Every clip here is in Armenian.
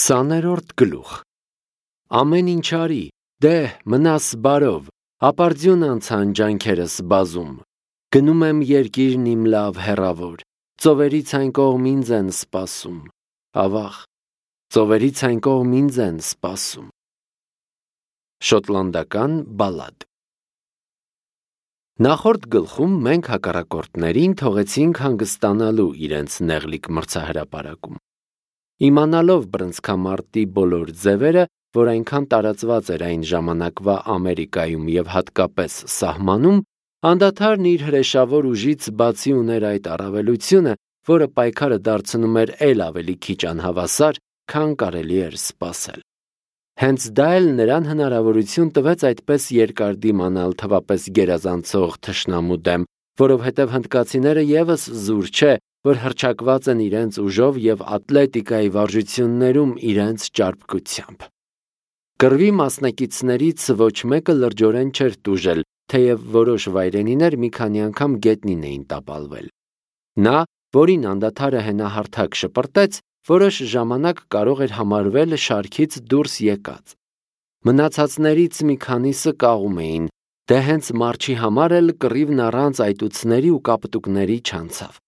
20-րդ գլուխ Ամեն ինչ արի, դե մնաս բարով, ապարդյուն անցան ջանքերս բազում, գնում եմ երկիրն իմ լավ հեռավոր, ծովերից այն կողմ ինձ են սպասում, ավաղ, ծովերից այն կողմ ինձ են սպասում։ Շոտլանդական բալադ։ Նախորդ գլխում մենք հակառակորդներին թողեցինք հանգստանալու իրենց նեղլիկ մրցահրապարակում։ Իմանալով բռնցքամարտի բոլոր ձևերը, որ այնքան տարածված էր այն ժամանակվա Ամերիկայում և հատկապես սահմանում, անդադարն իր հրեշավոր ուժից բացի ուներ այդ առավելությունը, որը պայքարը դարձնում էր էլ ավելի քիչ անհավասար, քան կարելի էր սպասել։ Հենց դա էլ նրան հնարավորություն տվեց այդպես երկար դիմանալ թվապես գերազանցող թշնամու դեմ, որովհետև հնդկացիները ևս զուր չէ, որ հռչակված են իրենց ուժով և ատլետիկայի վարժություններում իրենց ճարպկությամբ։ Կռվի մասնակիցներից ոչ մեկը լրջորեն չէր տուժել, թեև որոշ վայրենիներ մի քանի անգամ գետնին էին տապալվել։ Նա, որին անդադարը հենահարթակ շպրտեց, որոշ ժամանակ կարող էր համարվել շարքից դուրս եկած։ Մնացածներից մի քանիսը կաղում էին, դե հենց մարչի համար էլ կռիվն առանց այտուցների ու կապտուկների չանցավ։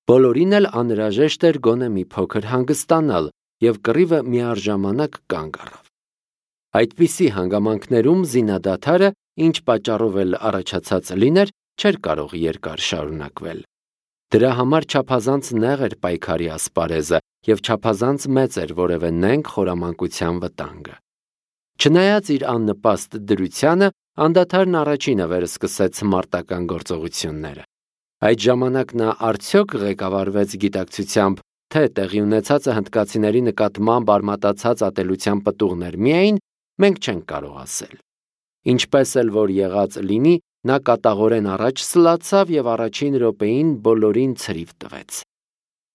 Բոլորին էլ անհրաժեշտ էր գոնե մի փոքր հանգստանալ, և կռիվը միառժամանակ կանգ առավ։ Այդպիսի հանգամանքներում զինադադարը, ինչ պատճառով էլ առաջացած լիներ, չէր կարող երկար շարունակվել։ Դրա համար չափազանց նեղ էր պայքարի ասպարեզը և չափազանց մեծ էր որևէ նենգ խորամանկության վտանգը։ Չնայած իր աննպաստ դրությանը, անդադարն առաջինը վերսկսեց մարտական գործողությունները։ Այդ ժամանակ նա արդյոք ղեկավարվեց գիտակցությամբ, թե տեղի ունեցածը հնդկացիների նկատմամբ արմատացած ատելության պտուղներ միայն, մենք չենք կարող ասել։ Ինչպես էլ որ եղած լինի, նա կատաղորեն առաջ սլացավ և առաջին րոպեին բոլորին ցրիվ տվեց։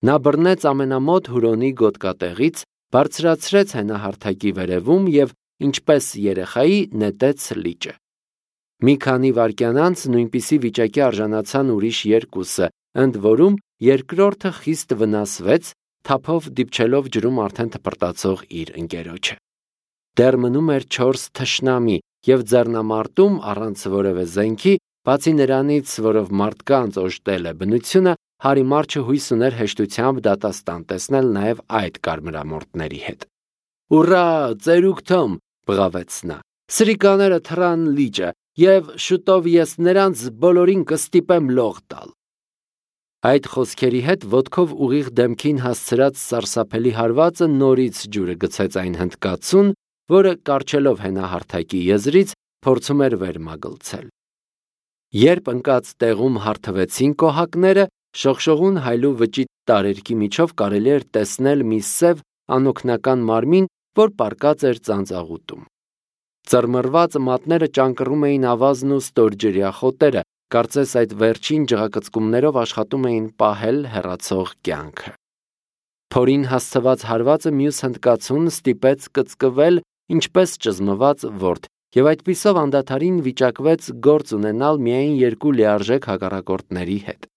Նա բռնեց ամենամոտ հուրոնի գոտկատեղից, բարձրացրեց հենահարթակի վերևում և, ինչպես երեխայի, նետեց լիճը։ Մի քանի վայրկյան անց նույնպիսի վիճակի արժանացան ուրիշ երկուսը, ընդ որում երկրորդը խիստ վնասվեց, թափով դիպչելով ջրում արդեն թպրտացող իր ընկերոջը։ Դեռ մնում էր 4 թշնամի և ձեռնամարտում առանց որևէ զենքի, բացի նրանից, որով մարդկանց օժտել է բնությունը, Հարի Մարչը հույս ուներ հեշտությամբ դատաստան տեսնել նաև այդ կարմրամորթների հետ։ «Ուռա, ծերուկ Թոմ», բղավեց նա, «սրիկաները թռան լիճը, և շուտով ես նրանց բոլորին կստիպեմ լող տալ»։ Այդ խոսքերի հետ ոտքով ուղիղ դեմքին հասցրած սարսափելի հարվածը նորից ջուրը գցեց այն հնդկացուն, որը, կառչելով հենահարթակի եզրից, փորձում էր վեր մագլցել։ Երբ ընկած տեղում հարթվեցին կոհակները, շողշողուն հայլու վճիտ տարերքի միջով կարելի էր տեսնել մի սև անօգնական մարմին, որ պառկած էր ծանծաղուտում։ Ծռմռված մատները ճանկռում էին ավազն ու ստորջրյա խոտերը, կարծես այդ վերջին ջղակծկումներով աշխատում էին պահել հեռացող կյանքը։ Փորին հասցված հարվածը մյուս հնդկացուն ստիպեց կծկվել, ինչպես ճզմված որդ, և այդպիսով անդադարին վիճակվեց գործ ունենալ միայն երկու լիարժեք հակառակորդների հետ։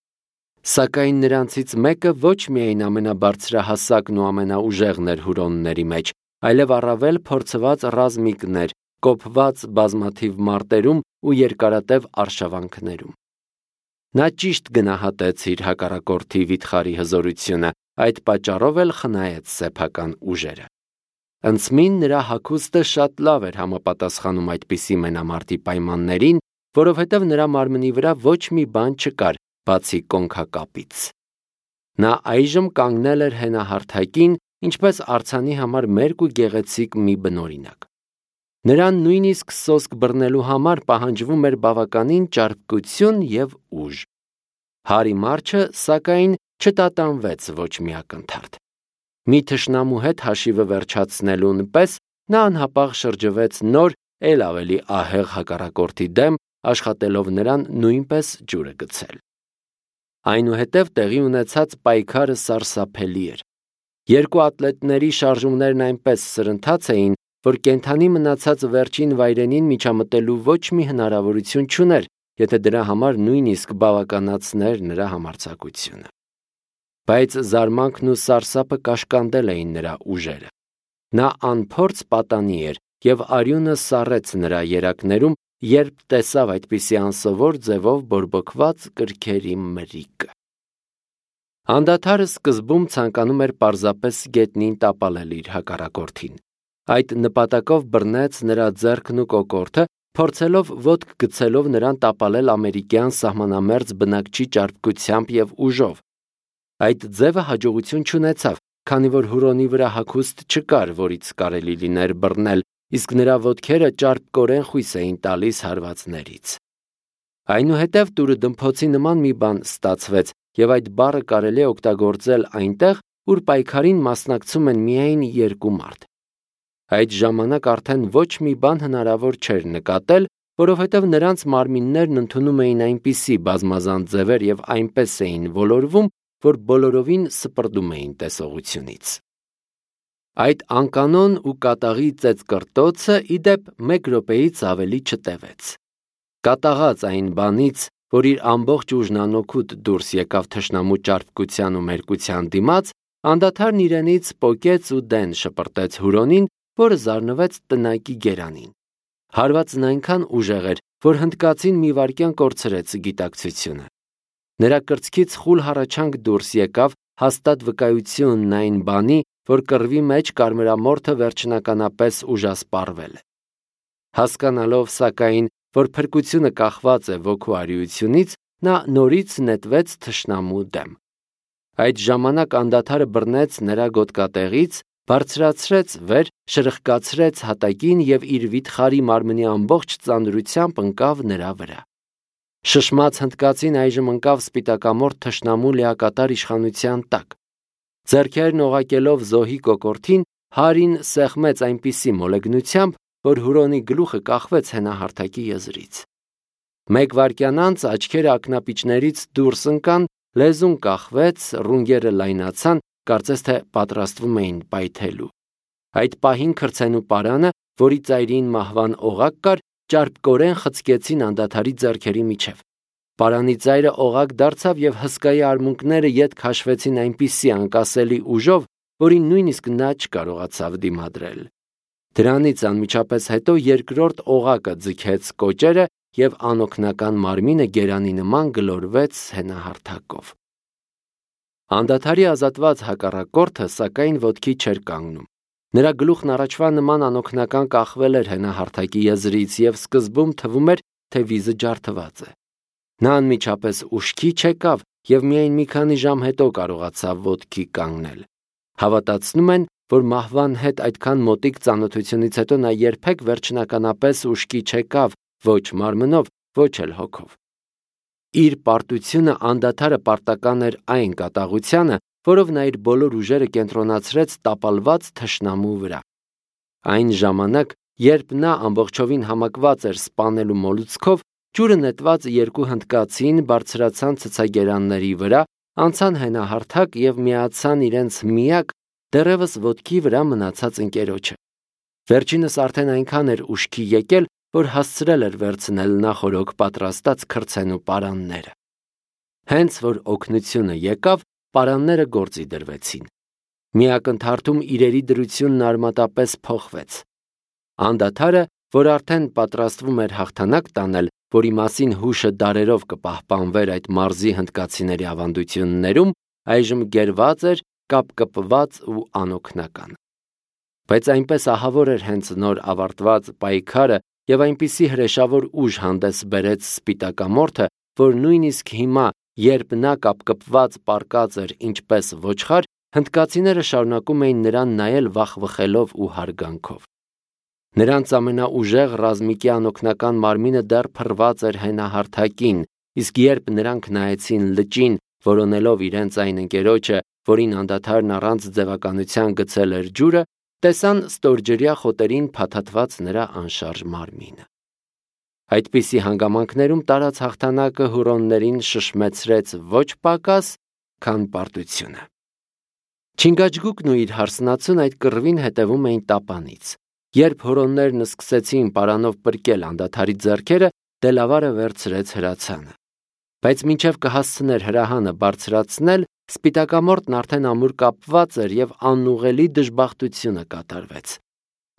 Սակայն նրանցից մեկը ոչ միայն ամենաբարձրահասակն ու ամենաուժեղն էր հուրոնների մեջ, այլև առավել փորձված ռազմիկն էր, կոփված բազմաթիվ մարտերում ու երկարատև արշավանքներում։ Նա ճիշտ գնահատեց իր հակառակորդի վիթխարի հզորությունը, այդ պատճառով էլ խնայեց սեփական ուժերը։ Ընծմին նրա հագուստը շատ լավ էր համապատասխանում այդպիսի մենամարտի պայմաններին, որովհետև նրա մարմնի վրա ոչ մի բան չկար, բացի կոնքակապից։ Նա այժմ կանգնել էր հենահարթակին, ինչպես արձանի համար մերկ ու գեղեցիկ մի բնօրինակ։ Նրան նույնիսկ սոսկ բռնելու համար պահանջվում էր բավականին ճարպկություն և ուժ։ Հարի Մարչը, սակայն, չտատանվեց ոչ մի ակնթարթ։ Մի թշնամու հետ հաշիվը վերջացնելուն պես նա անհապաղ շրջվեց նոր, էլ ավելի ահեղ հակառակորդի դեմ, աշխատելով նրան նույնպես ջուրը գցել։ Այնուհետև տեղի ունեցած պայքարը սարսափելի էր։ Երկու ատլետների շարժումներն այնպես սրընթաց էին, որ կենդանի մնացած վերջին վայրենին միջամտելու ոչ մի հնարավորություն չուներ, եթե դրա համար նույնիսկ բավականացներ նրա համարձակությունը։ Բայց զարմանքն ու սարսափը կաշկանդել էին նրա ուժերը։ Նա անփորձ պատանի էր և արյունը սառեց նրա երակներում, երբ տեսավ այդպիսի անսովոր ձևով բորբոքված կրքերի մրրիկը։ Անդադարը սկզբում ցանկանում էր պարզապես գետնին տապալել իր հակառակորդին։ Այդ նպատակով բռնեց նրա ձեռքն ու կոկորդը, փորձելով ոտք գցելով նրան տապալել ամերիկյան սահմանամերձ բնակչի ճարպկությամբ և ուժով։ Այդ ձևը հաջողություն չունեցավ, քանի որ Հուրոնի վրա հագուստ չկար, որից կարելի լիներ բռնել, իսկ նրա ոտքերը ճարպկորեն խույս էին տալիս հարվածներից։ Այնուհետև տուրըդմփոցի նման մի բան ստացվեց, և այդ բառը կարելի է օգտագործել այնտեղ, ուր պայքարին մասնակցում են միայն երկու մարդ։ Այդ ժամանակ արդեն ոչ մի բան հնարավոր չէր նկատել, որովհետև նրանց մարմիններն ընդունում էին այնպիսի բազմազան ձևեր և այնպես էին ոլորվում, որ բոլորովին սպրդում էին տեսողությունից։ Այդ անկանոն ու կատաղի ծեծկռտոցը, ի դեպ, 1 րոպեից ավելի չտևեց։ Կատաղած այն բանից, որ իր ամբողջ ուժն անօգուտ դուրս եկավ թշնամու ճարպկության ու մերկության դիմաց, անդադարն իրենից պոկեց ու դեն շպրտեց Հուրոնին, որը զարնվեց տնակի գերանին։ Հարվածն այնքան ուժեղ էր, որ հնդկացին մի վայրկյան կորցրեց գիտակցությունը։ Նրա կրծքից խուլ հառաչանք դուրս եկավ, հաստատ վկայությունն այն բանի, որ կռվի մեջ կարմրամորթը վերջնականապես ուժասպառվել է։ Հասկանալով, սակայն, որ փրկությունը կախված է ոգու արիությունից, նա նորից նետվեց թշնամու դեմ։ Այդ ժամանակ անդադարը բռնեց նրա գոտկատեղից, բարձրացրեց վեր, շրխկացրեց հատակին և իր վիթխարի մարմնի ամբողջ ծանրությամբ ընկավ նրա վրա։ Շշմած հնդկացին այժմ ընկավ սպիտակամորթ թշնամու լիակատար իշխանության տակ։ Ձեռքերն օղակելով զոհի կոկորդին, Հարին սեղմեց այնպիսի մոլեգնությամբ, որ Հուրոնի գլուխը կախվեց հենահարթակի եզրից։ 1 վայրկյան անց աչքերը ակնապիճներից դուրս ընկան, լեզուն կախվեց, ռունգերը լայնացան, կարծես թե պատրաստվում էին պայթելու։ Այդ պահին քրցենու պարանը, որի ծայրին մահվան օղակ կար, ճարպկորեն խցկեցին անդադարի ձեռքերի միջև։ Պարանի ծայրը օղակ դարձավ և հսկայի արմունկները ետ քաշվեցին այնպիսի անկասելի ուժով, որին նույնիսկ նա չկարողացավ դիմադրել։ Դրանից անմիջապես հետո երկրորդ օղակը ձգեց կոճերը և անօգնական մարմինը գերանի նման գլորվեց հենահարթակով։ Անդադարի ազատված հակառակորդը, սակայն, ոտքի չէր կանգնում։ Նրա գլուխն առաջվա նման անօգնական կախվել էր հենահարթակի եզրից և սկզբում թվում էր, թե վիզը ջարդված է։ Նա անմիջապես ուշքի չեկավ և միայն մի քանի ժամ հետո կարողացավ ոտքի կանգնել։ Հավատացնում են, որ մահվան հետ այդքան մոտիկ ծանոթությունից հետո նա երբեք վերջնականապես ուշքի չեկավ ոչ մարմնով, ոչ էլ հոգով։ Իր պարտությունը անդադարը պարտական էր այն կատաղությանը, որով նա իր բոլոր ուժերը կենտրոնացրեց տապալված թշնամու վրա։ Այն ժամանակ, երբ նա ամբողջովին համակված էր սպանելու մոլուցքով, ջուրը նետված երկու հնդկացին բարձրացան ցցագերանների վրա, անցան հենահարթակ և միացան իրենց միակ, դեռևս ոտքի վրա մնացած ընկերոջը։ Վերջինս արդեն այնքան էր ուշքի եկել, որ հասցրել էր վերցնել նախօրոք պատրաստած քրցենու պարանները։ Հենց որ օգնությունը եկավ, պարանները գործի դրվեցին։ Մի ակնթարթում իրերի դրությունն արմատապես փոխվեց։ Անդադարը, որ արդեն պատրաստվում էր հաղթանակ տանել, որի մասին հուշը դարերով կպահպանվեր այդ մարզի հնդկացիների ավանդություններում, այժմ գերված էր, կապկպված ու անօգնական։ Բայց այնպես ահավոր էր հենց նոր ավարտված պայքարը և այնպիսի հրեշավոր ուժ հանդես բերեց սպիտակամորթը, որ նույնիսկ հիմա, երբ նա կապկպված պառկած էր ինչպես ոչխար, հնդկացիները շարունակում էին նրան նայել վախվխելով ու հարգանքով։ Նրանց ամենաուժեղ ռազմիկի անօգնական մարմինը դեռ փռված էր հենահարթակին, իսկ երբ նրանք նայեցին լճին, որոնելով իրենց այն ընկերոջը, որին անդադարն առանց ձևականության գցել էր ջուրը, տեսան ստորջրյա խոտերին փաթաթված նրա անշարժ մարմինը։ Այդպիսի հանգամանքներում տարած հաղթանակը հուրոններին շշմեցրեց ոչ պակաս, քան պարտությունը։ Չինգաչգուկն ու իր հարսնացուն այդ կռվին հետևում էին տապանից։ Երբ հուրոններն սկսեցին պարանով պրկել անդադարի ձեռքերը, Դելավարը վերցրեց հրացանը։ Բայց մինչև կհասցներ հրահանը բարձրացնել, սպիտակամորտն արդեն ամուր կապված էր և անուղղելի դժբախտությունը կատարվեց։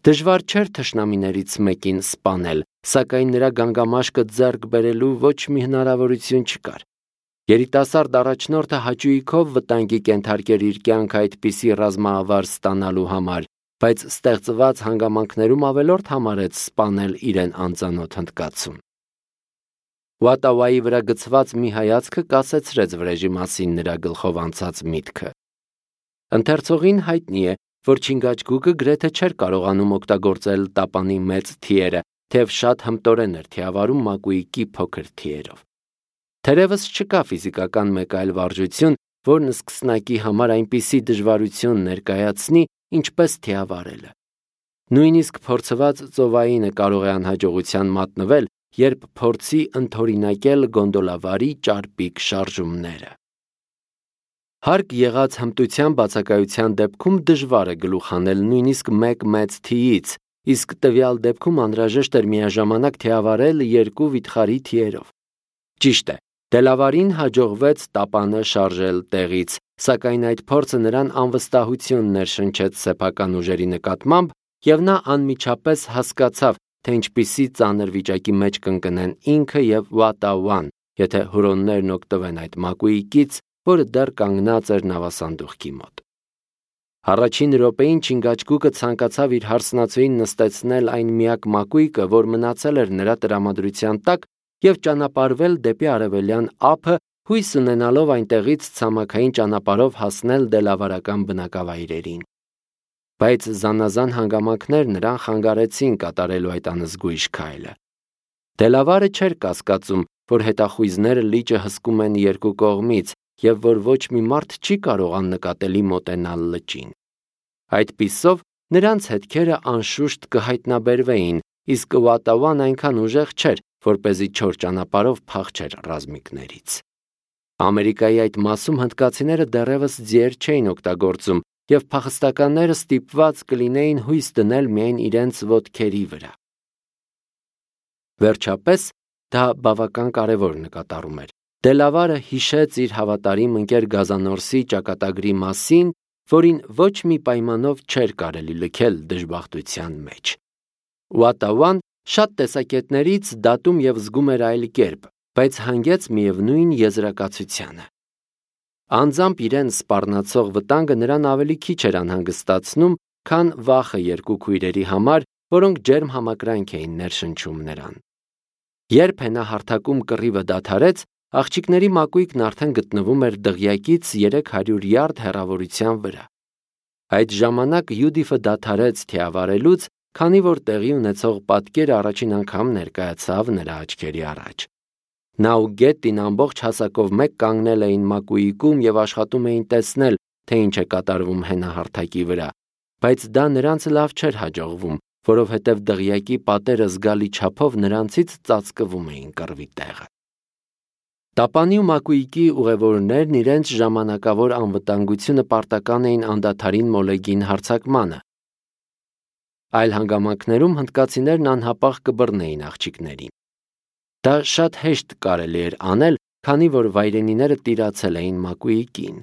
Դժվար չէր թշնամիներից մեկին սպանել, սակայն նրա գանգամաշկը ձեռք բերելու ոչ մի հնարավորություն չկար։ Երիտասարդ առաջնորդը հաճույքով վտանգի կենթարկեր իր կյանքը այդպիսի ռազմավար ստանալու համար, բայց ստեղծված հանգամանքներում ավելորդ համարեց սպանել իրեն անծանոթ հնդկացուն։ Ուոտավայի վրա գցված մի հայացքը կասեցրեց վրեժի մասին նրա գլխով անցած միտքը։ Ընթերցողին հայտնի է, որ Չինգաչգուկը գրեթե չէր կարողանում օգտագործել տապանի մեծ թիերը, թեև շատ հմտորեն էր թիավարում մակույկի փոքր թիերով։ Թերևս չկա ֆիզիկական մեկ այլ վարժություն, որն սկսնակի համար այնպիսի դժվարություն ներկայացնի, ինչպես թիավարելը։ Նույնիսկ փորձված ծովայինը կարող է անհաջողության մատնվել, երբ փորձի ընդօրինակել գոնդոլավարի ճարպիկ շարժումները։ Հարկ եղած հմտության բացակայության դեպքում դժվար է գլուխ հանել նույնիսկ մեկ մեծ թիից, իսկ տվյալ դեպքում անհրաժեշտ էր միաժամանակ թիավարել երկու վիթխարի թիերով։ Ճիշտ է, Դելավարին հաջողվեց տապանը շարժել տեղից, սակայն այդ փորձը նրան անվստահություն ներշնչեց սեփական ուժերի նկատմամբ, և նա անմիջապես հասկացավ, թե ինչպիսի ծանր վիճակի մեջ կընկնեն ինքը և Ուոտավան, եթե հուրոններն օգտվեն այդ մակույկից, որը դեռ կանգնած էր նավասանդուղքի մոտ։ Առաջին րոպեին Չինգաչգուկը ցանկացավ իր հարսնացուին նստեցնել այն միակ մակույկը, որ մնացել էր նրա տրամադրության տակ, և ճանապարհվել դեպի արևելյան ափը, հույս ունենալով այնտեղից ցամաքային ճանապարհով հասնել դելավարական բնակավայրերին։ Բայց զանազան հանգամանքներ նրան խանգարեցին կատարելու այդ անզգույշ քայլը։ Դելավարը չէր կասկածում, որ հետախույզները լիճը հսկում են երկու կողմից և որ ոչ մի մարդ չի կարող աննկատելի մոտենալ լճին։ Այդպիսով նրանց հետքերը անշուշտ կհայտնաբերվեին, իսկ Ուոտավան այնքան ուժեղ չէր, որպեսզի չոր ճանապարհով փախչեր ռազմիկներից։ Ամերիկայի այդ մասում հնդկացիները դեռևս ձիեր չէին օգտագործում, և փախստականները ստիպված կլինեին հույս դնել միայն իրենց ոտքերի վրա։ Վերջապես, դա բավական կարևոր նկատառում էր։ Դելավարը հիշեց իր հավատարիմ ընկեր Գազանորսի ճակատագրի մասին, որին ոչ մի պայմանով չէր կարելի լքել դժբախտության մեջ։ Ուոտավան շատ տեսակետներից դատում և զգում էր այլ կերպ, բայց հանգեց միևնույն եզրակացությանը։ Անձամբ իրեն սպառնացող վտանգը նրան ավելի քիչ էր անհանգստացնում, քան վախը երկու քույրերի համար, որոնք ջերմ համակրանք էին ներշնչում նրան։ Երբ հենահարթակում կռիվը դադարեց, աղջիկների մակույկն արդեն գտնվում էր դղյակից 300 յարդ հեռավորության վրա։ Այդ ժամանակ Յուդիֆը դադարեց թիավարելուց, քանի որ տեղի ունեցող պատկերը առաջին անգամ ներկայացավ նրա աչքերի առաջ։ Նա ու Գետտին ամբողջ հասակով մեկ կանգնել էին մակույկում և աշխատում էին տեսնել, թե ինչ է կատարվում հենահարթակի վրա, բայց դա նրանց լավ չէր հաջողվում, որովհետև դղյակի պատերը զգալի չափով նրանցից ծածկվում էին կռվի տեղը։ Տապանի ու մակույկի ուղևորներն իրենց ժամանակավոր անվտանգությունը պարտական էին անդադարին մոլեգին հարձակմանը։ Այլ հանգամանքներում հնդկացիներն անհապաղ կբռնեին աղջիկներին։ Դա շատ հեշտ կարելի էր անել, քանի որ վայրենիները տիրացել էին մակույկին։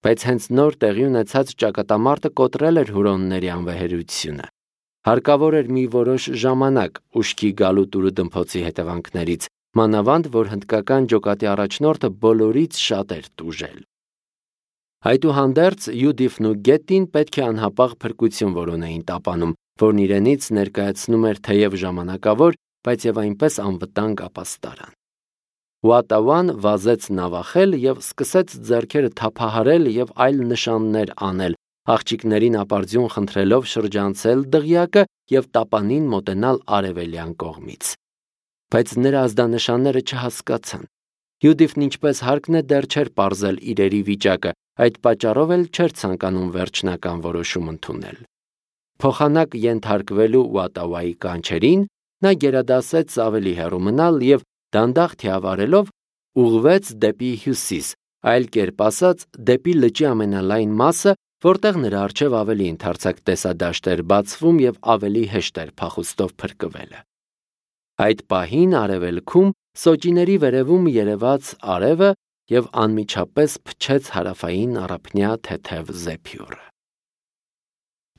Բայց հենց նոր տեղի ունեցած ճակատամարտը կոտրել էր հուրոնների անվեհերությունը։ Հարկավոր էր մի որոշ ժամանակ ուշքի գալու տուրուդմփոցի հետևանքներից, մանավանդ որ հնդկական ջոկատի առաջնորդը բոլորից շատ էր տուժել։ Այդուհանդերձ Յուդիֆն ու Գետտին պետք է անհապաղ փրկություն որոնեին տապանում, որն իրենից ներկայացնում էր թեև ժամանակավոր, բայց և այնպես անվտանգ ապաստարան։ Ուոտավան վազեց նավախել և սկսեց ձեռքերը թափահարել և այլ նշաններ անել, աղջիկներին ապարդյուն խնդրելով շրջանցել դղյակը և տապանին մոտենալ արևելյան կողմից։ Բայց նրա ազդանշանները չհասկացան։ Յուդիֆն ինչպես հարկն է դեռ չէր պարզել իրերի վիճակը, այդ պատճառով էլ չէր ցանկանում վերջնական որոշում ընդունել։ Փոխանակ ենթարկվելու Ուոտավայի կանչերին, նա գերադասեց ավելի հեռու մնալ և դանդաղ թիավարելով ուղղվեց դեպի հյուսիս, այլ կերպ ասած, դեպի լճի ամենալայն մասը, որտեղ նրա առջև ավելի ընդարձակ տեսադաշտ էր բացվում և ավելի հեշտ էր փախուստով փրկվելը։ Այդ պահին արևելքում սոճիների վերևում երևաց արևը և անմիջապես փչեց հարավային առափնյա թեթև զեփյուռը։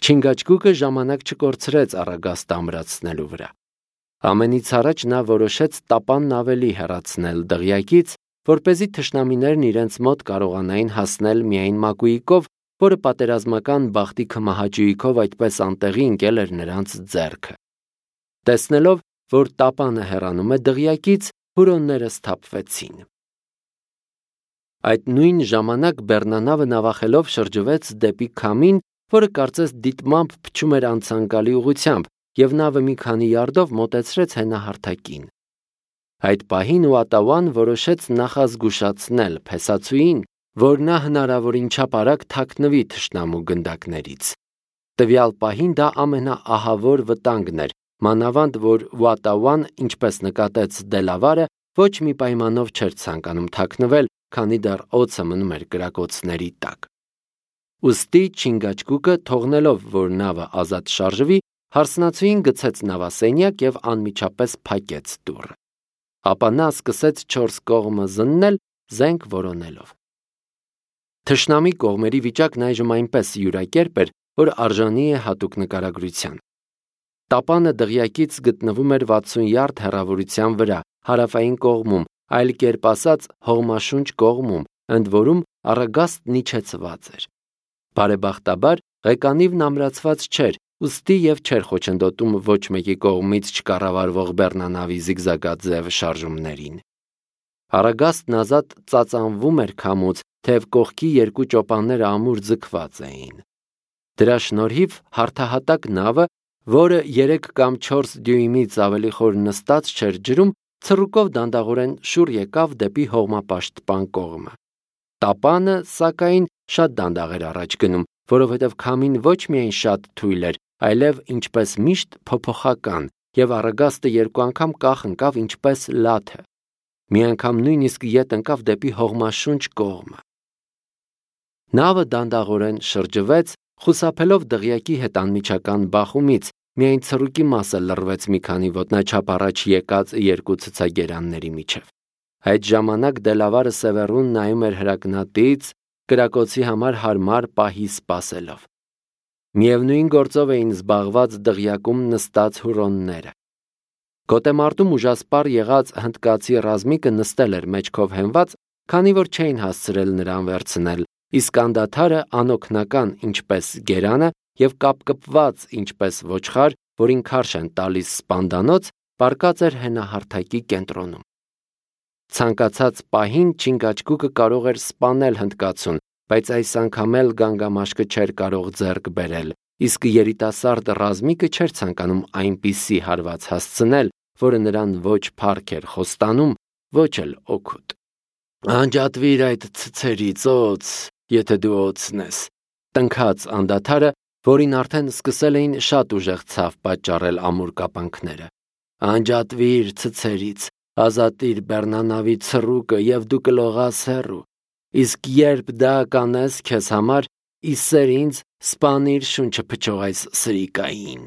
Չինգաչգուկը ժամանակ չկորցրեց Առագաստը ամրացնելու վրա։ Ամենից առաջ նա որոշեց տապանն ավելի հեռացնել դղյակից, որպեսզի թշնամիներն իրենց մոտ կարողանային հասնել միայն մակույիկով, որը պատերազմական բախտի քմահաճույքով այդպես անտեղի ընկել էր նրանց ձեռքը։ Տեսնելով, որ տապանը հեռանում է դղյակից, հուրոնները սթափվեցին։ Այդ նույն ժամանակ բեռնանավը նավախելով շրջվեց դեպի քամին, որը կարծես դիտմամբ փչում էր անցանկալի ուղղությամբ, և նավը մի քանի յարդով մոտեցրեց հենահարթակին։ Այդ պահին Ուատավան որոշեց նախազգուշացնել փեսացուին, որ նա հնարավորին չափ արագ թաքնվի թշնամու գնդակներից։ Տվյալ պահին դա ամենաահավոր վտանգն էր, մանավանդ որ Ուատավան, ինչպես նկատեց Դելավարը, ոչ մի պայմանով չէր ցանկանում թաքնվել, քանի դեռ օձը մնում էր կրակոցների տակ։ Ուստի Չինգաչգուկը, թողնելով, որ նավը ազատ շարժվի, հարսնացուին գցեց նավասենյակ և անմիջապես փակեց դուռը։ Ապա նա սկսեց 4 կողմը զննել, զենք որոնելով։ Թշնամի կողմերի վիճակն այժմ այնպես յուրակերպ էր, որ արժանի է հատուկ նկարագրության։ Տապանը դղյակից գտնվում էր 60 յարդ հեռավորության վրա, հարավային կողմում, այլ կերպ ասած հողմաշունչ կողմում, ընդ որում Առագաստն իջեցված էր։ Բարեբախտաբար ղեկանիվն ամրացված չէր, ուստի և չէր խոչընդոտում ոչ մեկի կողմից չկառավարվող բեռնանավի զիգզագաձև շարժումներին։ Առագաստն ազատ ծածանվում էր քամուց, թեև կողքի 2 ճոպանները ամուր ձգված էին։ Դրա շնորհիվ հարթահատակ նավը, որը 3 կամ 4 դյույմից ավելի խոր նստած չէր ջրում, ցռուկով դանդաղորեն շուռ եկավ դեպի հողմապաշտպան կողմը։ Տապանը, սակայն, շատ դանդաղ էր առաջ գնում, որովհետև քամին ոչ միայն շատ թույլ էր, այլև ինչպես միշտ փոփոխական, և Առագաստը 2 անգամ կախ ընկավ ինչպես լաթը։ Մի անգամ նույնիսկ ետ ընկավ դեպի հողմաշունչ կողմը։ Նավը դանդաղորեն շրջվեց, խուսափելով դղյակի հետ անմիջական բախումից, միայն ցռուկի մասը լռվեց մի քանի ոտնաչափ առաջ եկած 2 ցցագերանների միջև։ Այդ ժամանակ Դելավարը Սևեռուն նայում էր հրակնատից, կրակոցի համար հարմար պահի սպասելով։ Միևնույն գործով էին զբաղված դղյակում նստած հուրոնները։ Գոտեմարտում ուժասպառ եղած հնդկացի ռազմիկը նստել էր մեջքով հենված, քանի որ չէին հասցրել նրան վերցնել, իսկ անդադարը անօգնական ինչպես գերանը և կապկպված ինչպես ոչխար, որին քարշ են տալիս սպանդանոց, պառկած էր հենահարթակի կենտրոնում։ Ցանկացած պահին Չինգաչգուկը կարող էր սպանել հնդկացուն, բայց այս անգամ էլ գանգամաշկը չէր կարող ձեռք բերել, իսկ երիտասարդ ռազմիկը չէր ցանկանում այնպիսի հարված հասցնել, որը նրան ոչ փառք էր խոստանում, ոչ էլ օգուտ։ «Անջատվիր այդ ցցերից, օձ, եթե դու օձն ես», տնքաց անդադարը, որին արդեն սկսել էին շատ ուժեղ ցավ պատճառել ամուր կապանքները։ «Անջատվիր ցցերից, ազատիր բեռնանավի ցռուկը և դու կլողաս հեռու, իսկ երբ դա կանես քեզ համար, ի սեր ինձ սպանիր շունչը փչող այս սրիկային»։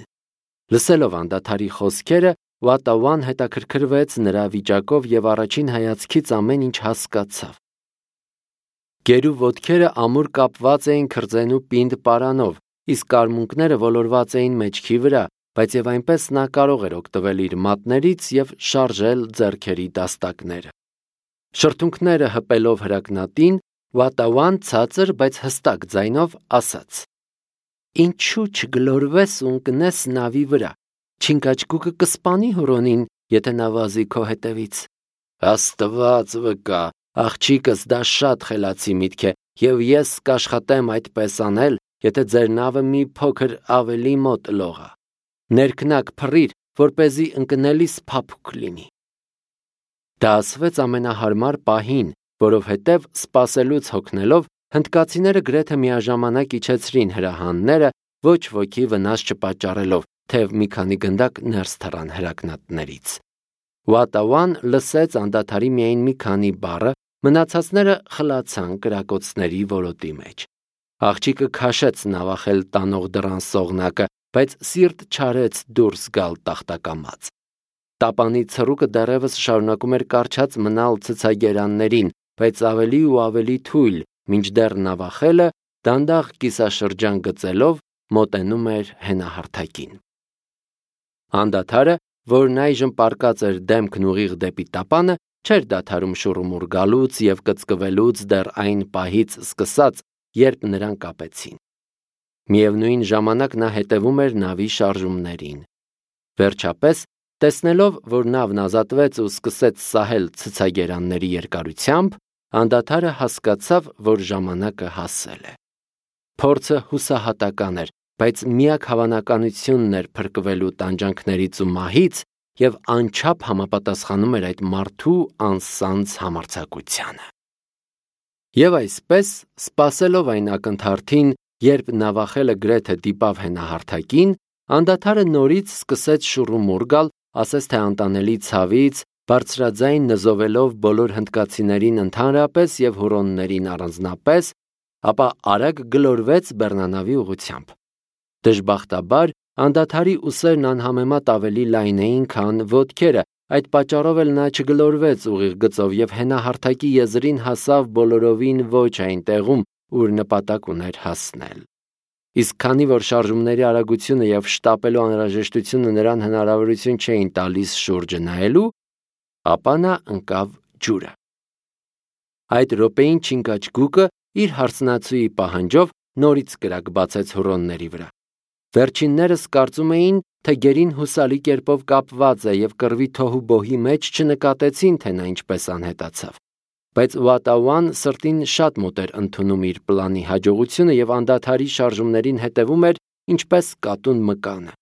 Լսելով անդադարի խոսքերը, Ուատավան հետաքրքրվեց նրա վիճակով և առաջին հայացքից ամեն ինչ հասկացավ։ Գերու ոտքերը ամուր կապված էին քրձենու պինդ պարանով, իսկ կարմունկները ոլորված էին մեջքի վրա, բայց և այնպես նա կարող էր օգտվել իր մատներից և շարժել ձեռքերի դաստակները։ Շրթունքները հպելով հրակնատին, Ուատավան ցածր, բայց հստակ ձայնով ասաց. «Ինչու չգլորվես ու ընկնես նավի վրա։ Չինգաչգուկը կսպանի հուրոնին, եթե նա վազի քո հետևից»։ Աստված վկա, աղջիկս, դա շատ խելացի միտք է, և ես կաշխատեմ այդպես անել, եթե ձեր նավը մի փոքր ավելի մոտ լողա։ Ներքնակ փռիր, որպեսզի ընկնելիս փափուկ լինի։ Դա ասվեց ամենահարմար պահին, որովհետև սպասելուց հոգնելով հնդկացիները գրեթե միաժամանակ իջեցրին հրահանները, ոչ ոքի վնաս չպատճառելով, թեև մի քանի գնդակ ներս թռան հրակնատներից։ Ուատավան լսեց անդադարի միայն մի քանի բառը, մնացածները խլացան կրակոցների ոլոտի մեջ։ Աղջիկը քաշեց նավախել տանող դռան սողնակը, բայց սիրտ չարեց դուրս գալ տախտակամած։ Տապանի ցռուկը դեռևս շարունակում էր կարճած մնալ ցցագերաններին, բայց ավելի ու ավելի թույլ, մինչդեռ նավախելը դանդաղ կիսաշրջան գծելով մոտենում էր հենահարթակին։ Անդադարը, որն այժմ պառկած էր դեմքն ուղիղ դեպի տապանը, չէր դադարում շուռումուռ գալուց և կծկվելուց դեռ այն պահից սկսած, երբ նրան կապեցին։ Միևնույն ժամանակ նա հետևում էր նավի շարժումներին։ Վերջապես, տեսնելով, որ նավն ազատվեց ու սկսեց սահել ցցագերանների երկարությամբ, անդադարը հասկացավ, որ ժամանակը հասել է։ Փորձը հուսահատական էր, բայց միակ հավանականությունն էր փրկվելու տանջանքներից ու մահից և անչափ համապատասխանում էր այդ մարդու անսանձ համարձակությանը։ Եվ այսպես, սպասելով այն ակնթարթին, երբ նավախելը գրեթե դիպավ հենահարթակին, անդադարը նորից սկսեց շուռումուռ գալ, ասես թե անտանելի ցավից, բարձրաձայն նզովելով բոլոր հնդկացիներին ընդհանրապես և հուռոններին առանձնապես, ապա արագ գլորվեց բեռնանավի ուղղությամբ։ Դժբախտաբար, անդադարի ուսերն անհամեմատ ավելի լայն էին, քան ոտքերը, այդ պատճառով էլ նա չգլորվեց ուղիղ գծով և հենահարթակի եզրին հասավ բոլորովին ոչ այն տեղում, ուր նպատակ ուներ հասնել։ Իսկ քանի որ շարժումների արագությունը և շտապելու անհրաժեշտությունը նրան հնարավորություն չէին տալիս շուրջը նայելու, ապա նա ընկավ ջուրը։ Այդ րոպեին Չինգաչգուկը իր հարսնացուի պահանջով նորից կրակ բացեց հուռոնների վրա։ Վերջիններս կարծում էին, թե գերին հուսալի կերպով կապված է և կռվի թոհուբոհի մեջ չնկատեցին, թե նա ինչպես անհետացավ։ Բայց Ուատաուան սրտին շատ մոտ էր ընդունում իր պլանի հաջողությունը և անդադարի շարժումներին հետևում էր ինչպես կատուն մկանը։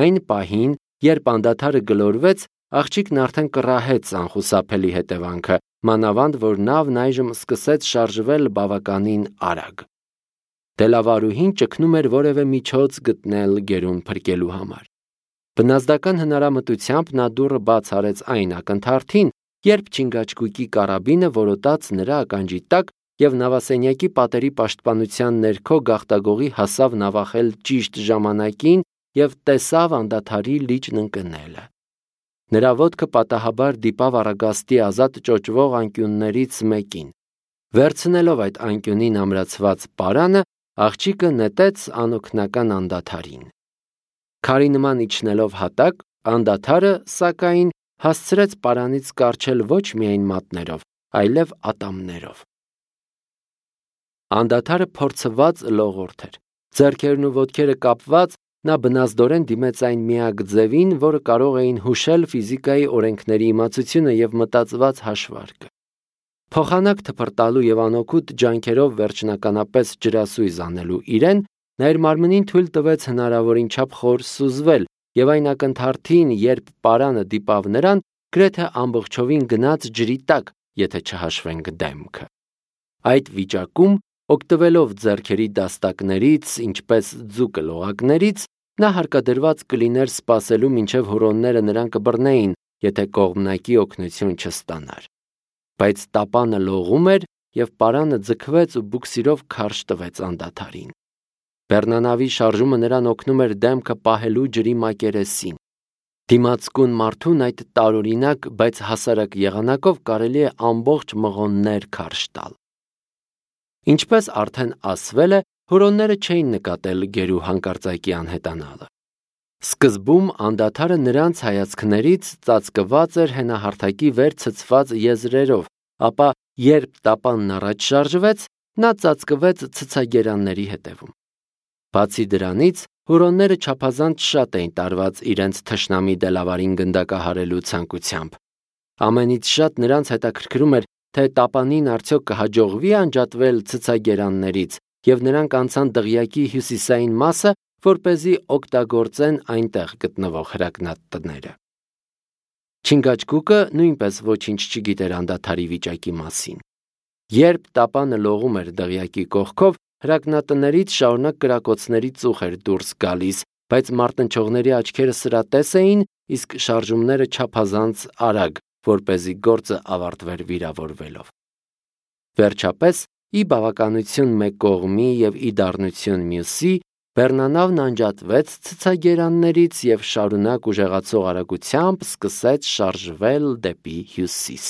Այն պահին, երբ անդադարը գլորվեց, աղջիկն արդեն կռահեց անխուսափելի հետևանքը, մանավանդ որ նավն այժմ սկսեց շարժվել բավականին արագ։ Դելավարուհին ճգնում էր որևէ միջոց գտնել գերուն փրկելու համար։ Բնազդական հնարամտությամբ նա դուռը բաց արեց այն ակնթարթին, երբ Չինգաչգուկի կարաբինը որոտաց նրա ականջի տակ և նավասենյակի պատերի պաշտպանության ներքո գաղտագողի հասավ նավախել ճիշտ ժամանակին և տեսավ անդադարի լիճն ընկնելը։ Նրա ոտքը պատահաբար դիպավ առագաստի ազատ ճոճվող անկյուններից մեկին։ Վերցնելով այդ անկյունին ամրացված պարանը, աղջիկը նետեց անօգնական անդադարին։ Քարի նման իջնելով հատակ, անդադարը, սակայն, հասցրեց պարանից կառչել ոչ միայն մատներով, այլև ատամներով։ Անդադարը փորձված լողորդ էր։ Ձեռքերն ու ոտքերը կապված, նա բնազդորեն դիմեց այն միակ ձևին, որը կարող էին հուշել ֆիզիկայի օրենքների իմացությունը և մտածված հաշվարկը։ Փոխանակ թփրտալու և անօգուտ ջանքերով վերջնականապես ջրասույզ անելու իրեն, նա իր մարմնին թույլ տվեց հնարավորին չափ խոր սուզվել և այն ակնթարթին, երբ պարանը դիպավ նրան, գրեթե ամբողջովին գնաց ջրի տակ, եթե չհաշվենք դեմքը։ Այդ վիճակում, օգտվելով ձեռքերի դաստակներից, ինչպես ձուկը լողակներից, նա հարկադրված կլիներ սպասելու, մինչև հուռոնները նրան կբռնեին, եթե կողմնակի օգնություն չստանար։ Բայց տապանը լողում էր, և պարանը ձգվեց ու բուքսիրով քարշ տվեց անդադարին։ Բեռնանավի շարժումը նրան օգնում էր դեմքը պահելու ջրի մակերեսին։ Դիմացկուն մարդուն այդ տարօրինակ, բայց հասարակ եղանակով կարելի է ամբողջ մղոններ քարշ տալ։ Ինչպես արդեն ասվել է, հուռոնները չէին նկատել գերու հանկարծակի անհետանալը։ Սկզբում անդադարը նրանց հայացքներից ծածկված էր հենահարթակի վեր ցցված եզրերով, ապա երբ տապանն առաջ շարժվեց, նա ծածկվեց ցցագերանների հետևում։ Բացի դրանից, հուռոնները չափազանց շատ էին տարված իրենց թշնամի Դելավարին գնդակահարելու ցանկությամբ։ Ամենից շատ նրանց հետաքրքրում էր, թե տապանին արդյոք կհաջողվի անջատվել ցցագերաններից, և նրանք անցան դղյակի հյուսիսային մասը, որպեսզի օգտագործեն այնտեղ գտնվող հրակնատները։ Չինգաչգուկը նույնպես ոչինչ չգիտեր անդադարի վիճակի մասին։ Երբ տապանը լողում էր դղյակի կողքով, հրակնատներից շարունակ կրակոցների ծուխ էր դուրս գալիս, բայց մարտնչողների աչքերը սրատես էին, իսկ շարժումները չափազանց արագ, որպեսզի գործը ավարտվեր վիրավորվելով։ Վերջապես, ի բավականություն մեկ կողմի և ի դառնություն մյուսի, Բեռնանավն անջատվեց ցցագերաններից և շարունակ ուժեղացող արագությամբ սկսեց շարժվել դեպի հյուսիս։